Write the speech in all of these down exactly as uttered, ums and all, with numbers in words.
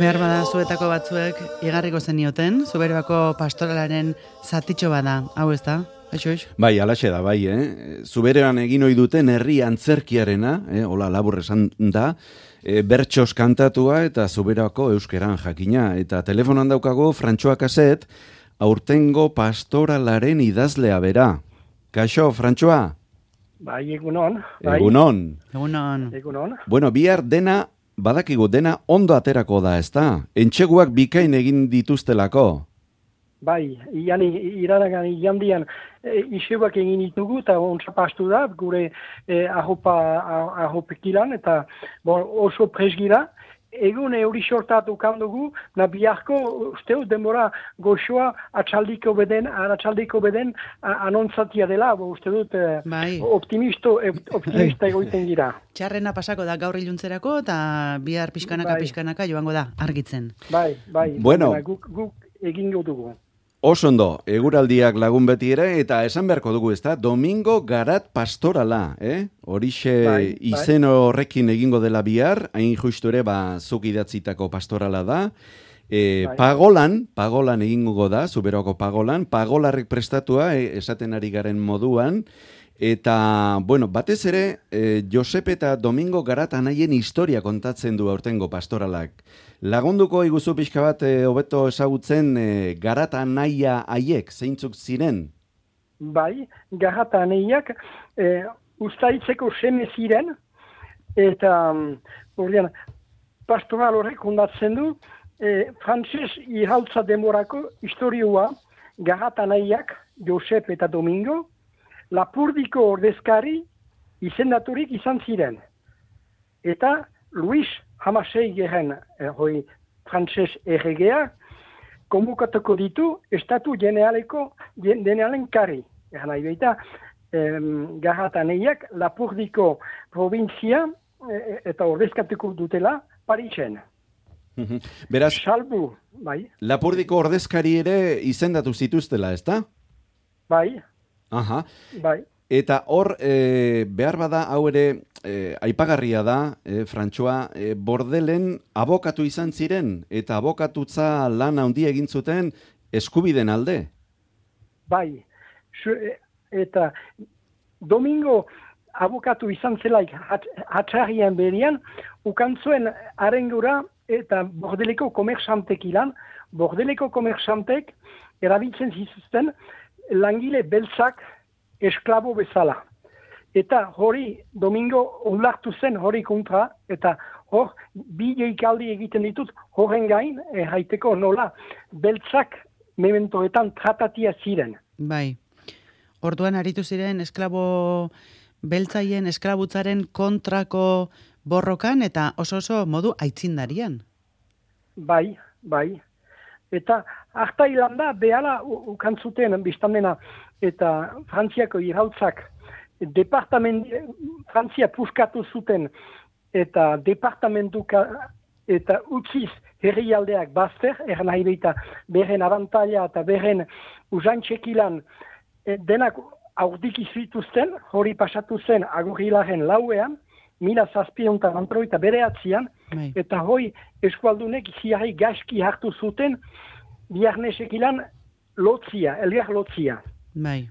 Behar bada zuetako batzuek igarriko zenioten, Zuberoako pastoralaren zatitxo bada, hau ez da? Aixoix? Bai, alaxe da, bai, eh? Zuberoan egin ohi duten herri antzerkiarena, eh? Hola, labur esan da, e, bertxos kantatua eta Zuberoako euskeran jakina. Eta telefonan daukago Frantxoa Kaset, aurtengo pastoralaren idazlea bera. Kaixo, Frantxoa? Bai, egunon. Bai. Egunon. Egunon. Egunon. Bueno, bihar dena, badakigu dena ondo aterako da, ezta? Entxeguak bikain egin dituztelako. Bai, iani, iraragan iandian e, iseuak egin ditugu eta ontsa pastu da, gure e, ahopa, ahopekilan eta bon, oso presgira. Egun euri sortatu kandugu, na biharko usteu denbora goxoa atxaldiko beden, atxaldiko beden anonzatia dela, bo uste dut bai. optimisto, optimista egoiten gira. Txarrena pasako da gaur iluntzerako eta bihar pixkanaka bai. pixkanaka joango da argitzen. Bai, bai. Bueno. Guk, guk egingo dugu. Oso ondo, eguraldiak lagun beti ere, eta esan beharko dugu, ezta? Domingo Garat Pastorala, eh? Horixe bai, izen horrekin egingo dela bihar, hain justu ere, ba, zuk idatzitako pastorala da. E, bai. Pagolan, pagolan egingo da, Zuberoko pagolan, pagolarrek prestatua, e, esaten ari garen moduan, eta, bueno, batez ere, e, Josep eta Domingo Garat anaien historia kontatzen du aurtengo pastoralak. Lagunduko iguzu pixka bat e, hobeto ezagutzen e, Garat anaia haiek, zeintzuk ziren? Bai, Garat anaiak e, ustaitzeko seme ziren, eta ordean, pastoral horrek ondatzen du, e, frantses iraultza demorako historioa Garat anaiak, Josep eta Domingo, Lapurdiko ordezkari izendaturik izan ziren. Eta Luis hamasei geren, eh, hoi, frantses erregea, konbukatuko ditu estatu generaleko, generalen kari. Eran nahi baita, em, Garat anaiak Lapurdiko provintzia e, eta ordezkatuko dutela Parisen. Beraz, Salbu, bai, Lapurdiko ordezkari ere izendatu zituztela, ezta? bai, Aha. bai. Eta hor, e, behar bada, hau ere, e, aipagarria da, e, Frantxoa, e, Bordelen abokatu izan ziren, eta abokatutza lan handia egin zuten eskubiden alde. Bai, Su, eta Domingo abokatu izan zelaik hatxarrian berian, ukantzuen arengura eta Bordeleko komersantek ilan, Bordeleko komersantek erabiltzen zizuzten langile beltzak esklabo bezala. Eta hori Domingo onlartu zen hori kontra, eta hor bi jeikaldi egiten ditut horren gain, erraiteko nola beltzak mementoetan tratatia ziren. Bai. Orduan aritu ziren esklabo beltzaien esklabutzaren kontrako borrokan eta oso oso modu aitzindarian. Bai, bai. Eta harta hilanda behala ukantzuten biztandena eta Frantziako irautzak departament, Frantzia puskatu zuten eta departamentuka eta utziz herrialdeak bazter, eran nahi beita beren abantaila eta beren usantxekilan denak aurdiki zituzten, hori pasatu zen agurrilaren lauean, mila zazpiontan antroita bere atzian, Bai. eta hoi eskualdunek ziarri gaski hartu zuten biarnesekilan lotzia, elgar lotzia. Bai.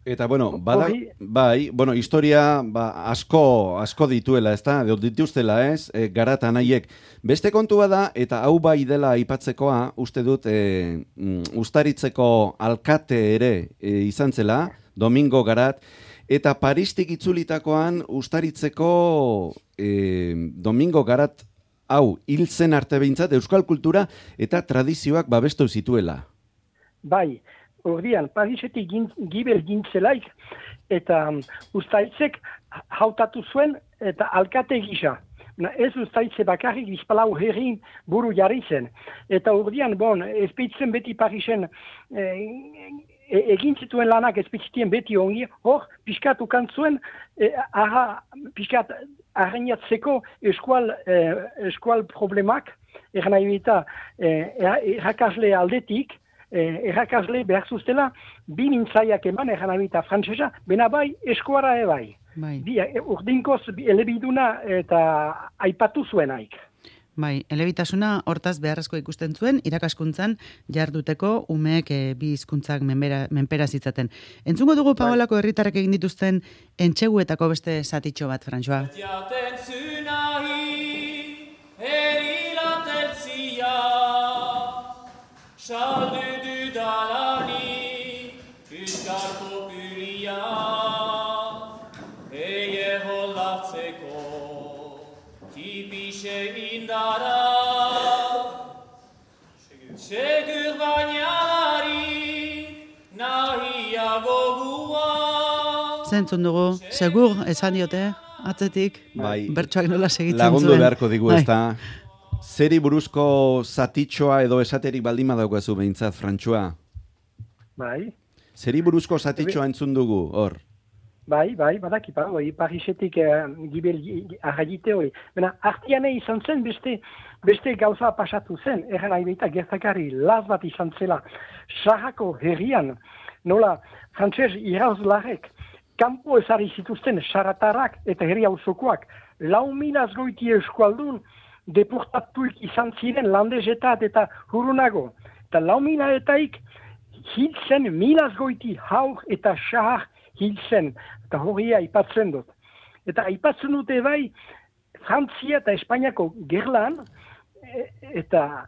Eta, bueno, bada, Hori- bai, bueno, historia ba, asko, asko dituela, ez da? Dituztela, ez? E, Garat anaiek. Beste kontua da, eta hau bai dela aipatzekoa, uste dut, e, mm, Uztaritzeko alkate ere e, izan zela, Domingo Garat, eta Paristik itzulitakoan Uztaritzeko e, Domingo Garat hau hil zen arte behintzat euskal kultura eta tradizioak babestu zituela. Bai, ordian, Parisetik gin, gibel gintzelaik, eta um, Uztaitzek hautatu zuen eta alkate gisa. Na, ez Uztaitze bakarrik bizpalau herrin buru jarri zen. Eta ordian, bon, ezpeitzen beti Parisen eh, e, egin zituen lanak ezpeitzitien beti ongi, hor, piskat ukantzuen, e, aha, piskat arrainatzeko eskual, eh, eskual problemak, eran nahi bita, eh, errakasle aldetik, Eh, errakasle behar zuztela, bi mintzaiak eman, eran abita frantzesa, bena bai, eskuara ebai. Bai. Bi, urdinkoz elebiduna eta aipatu zuenaik. Bai, elebitasuna hortaz beharrezko ikusten zuen, irakaskuntzan jarduteko umeek e, bi hizkuntzak menbera, menpera zitzaten. Entzungo dugu Paolako herritarrek egin dituzten entxeguetako beste zatitxo bat, Frantsua. Saldu dudalani, Euskal Populia, eie holdatzeko, tipixe indara, segur bainalari, nahiago gua. Zentzun dugu, segur, esan diote, atzetik, bai, bertsoak nola segitzen lagundu zuen. beharko digu, ez da. Zeri buruzko zatitxoa edo esaterik baldin badaukazu behintzat, Frantsua? Bai. Zeri buruzko zatitxoa entzun dugu, hor? Bai, bai, badaki, pa, oi, Parisetik eh, gibel arragite hori. Bena, artiane izan zen, beste, beste gauza pasatu zen, erren aibeita gertakari laz bat izan zela. Sarrako herrian, nola, frantses irauzlarek, kanpo ezari zituzten saratarrak eta herri hauzokoak, lau milaz goiti eskualdun, deportatuik izan ziren landezetat eta hurunago. Eta lau milaetaik hiltzen milaz goiti haur eta xahar hiltzen. Eta horria aipatzen dut. Eta aipatzen dute bai Frantzia eta Espainiako gerlan e, eta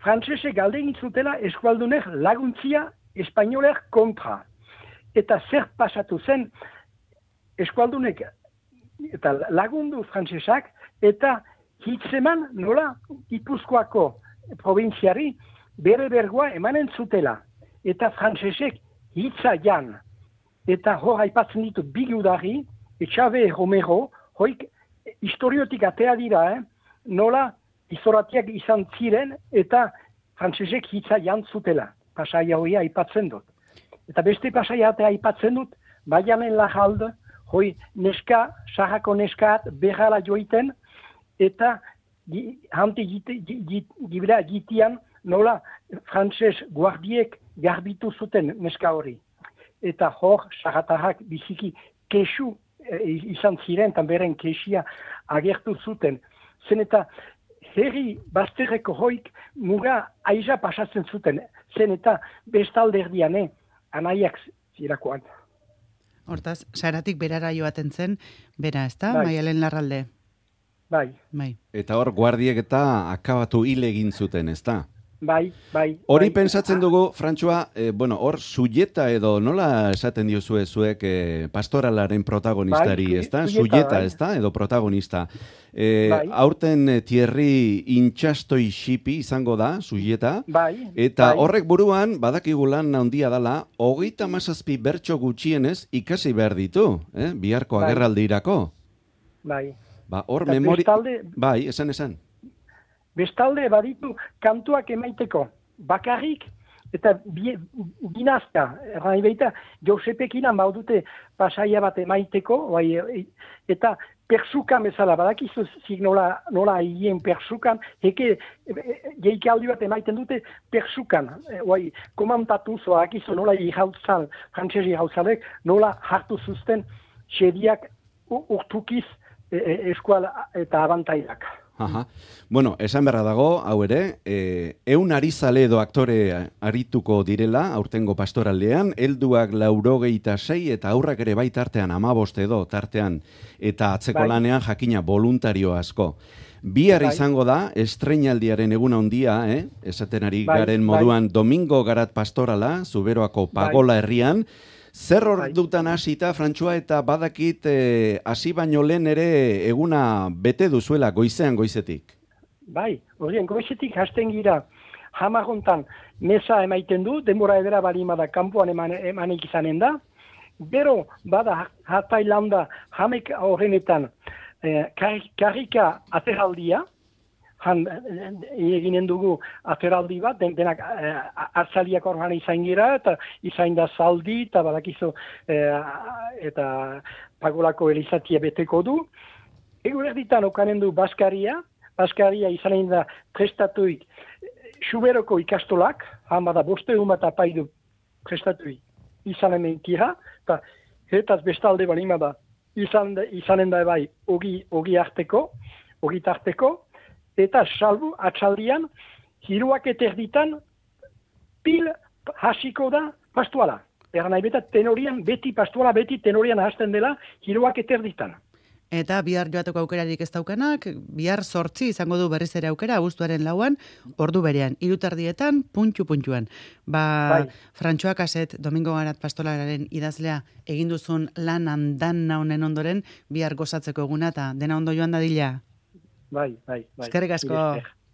frantsesek galde egin zutela eskualdunek laguntzia espainoler kontra. Eta zer pasatu zen eskualdunek eta lagundu frantsesak eta hitzeman nola Gipuzkoako probintziari bere bergoa emanen zutela. Eta frantsesek hitza jan. Eta hor aipatzen ditut bigudari, Etxabe Romero, hoik historiotik atea dira, eh? Nola izoratiak izan ziren eta frantsesek hitza jan zutela. Pasaia hoia aipatzen dut. Eta beste pasaia atea aipatzen dut, baianen lajalde, hoi neska, sarrako neskaat berrala joiten, eta hante gibela gitian nola frantses guardiek garbitu zuten neska hori. Eta hor, sarratarrak biziki kesu e, izan ziren, eta beren kesia agertu zuten. Zen eta herri bazterreko hoik muga aiza pasatzen zuten. Zen eta bestalde erdian, eh, anaiak zirakoan. Hortaz, saratik berara joaten zen, bera, ez da, Bai. Maialen Larralde? Bai, Bai. Eta hor, guardiek eta akabatu hil egin zuten, ez da? bai, bai. Hori bai. pentsatzen dugu, Frantsua, eh, bueno, hor, sujeta edo nola esaten diozue zuek eh, pastoralaren protagonistari, Bai, ez da? sujeta, Sujeta, bai. ez da? Edo protagonista. Eh, Bai. Aurten eh, Thierry intxastoi xipi izango da, sujeta. Bai, Eta bai. horrek buruan, badakigu lan handia dala, hogeita mazazpi bertso gutxienez ikasi behar ditu, eh? Biharko Bai. agerraldirako. Bai. Ba, hor Eta memori... bestalde- Bai, esan, esan. Bestalde baditu kantuak emaiteko. Bakarrik eta bi- binazka. Erran beita, Josepekinan baudute pasaia bat emaiteko, bai, e- eta persukan bezala, badakizu zik nola, nola hien persukan, heke geikaldi bat emaiten dute persukan. E, bai, komantatu zoa, akizu nola ihautzal, frantzesi ihautzalek, nola hartu zuzten xediak u- urtukiz e, e, eskual eta abantaiak. Aha. Bueno, esan beharra dago, hau ere, eh, eun arizale edo aktore arituko direla, aurtengo pastoraldean, helduak laurogeita sei eta aurrak ere bai tartean amabost edo tartean, eta atzeko Bai. lanean jakina voluntario asko. Bihar Bai. izango da, estreinaldiaren eguna handia, eh? esaten ari Bai, garen bai. moduan, Domingo Garat Pastorala, Zuberoako Pagola herrian, zer Bai. ordutan hasita, Frantsua, eta badakit eh, hasi baino lehen ere eguna bete duzuela goizean goizetik. Bai, horien goizetik hasten gira hamarrontan mesa emaiten du, denbora edera balima da kanpoan eman, emanik izanen da. Gero, bada hartailanda hamek horrenetan eh, kar, karrika ateraldia, han eh, eginen dugu ateraldi bat, den, denak eh, hartzaliak horran izain gira, eta izain da zaldi, eta badakizu eh, eta Pagolako elizatia beteko du. Ego erditan okanen du Baskaria, Baskaria izanen da prestatuik Xuberoko ikastolak, hama da boste bat apaidu prestatuik izanen mentira, eta hetaz bestalde balima da izan, izanen da bai ogi, ogi arteko, ogi tarteko, eta salbu atxaldian, hiruak eterditan, pil hasiko da pastuala. Eran nahi beta tenorian, beti pastuala, beti tenorian hasten dela, hiruak eterditan. Eta bihar joateko aukerarik ez daukanak, bihar sortzi izango du berriz ere aukera, abuztuaren lauan, ordu berean, irutardietan, puntxu-puntxuan. Ba, Bai. Frantxoa Kaset, Domingo Garat pastolararen idazlea, egin duzun lan handan honen ondoren, bihar gozatzeko eguna, eta dena ondo joan dadila. Bai, bai, bai. Eskerrik asko. Mila esker.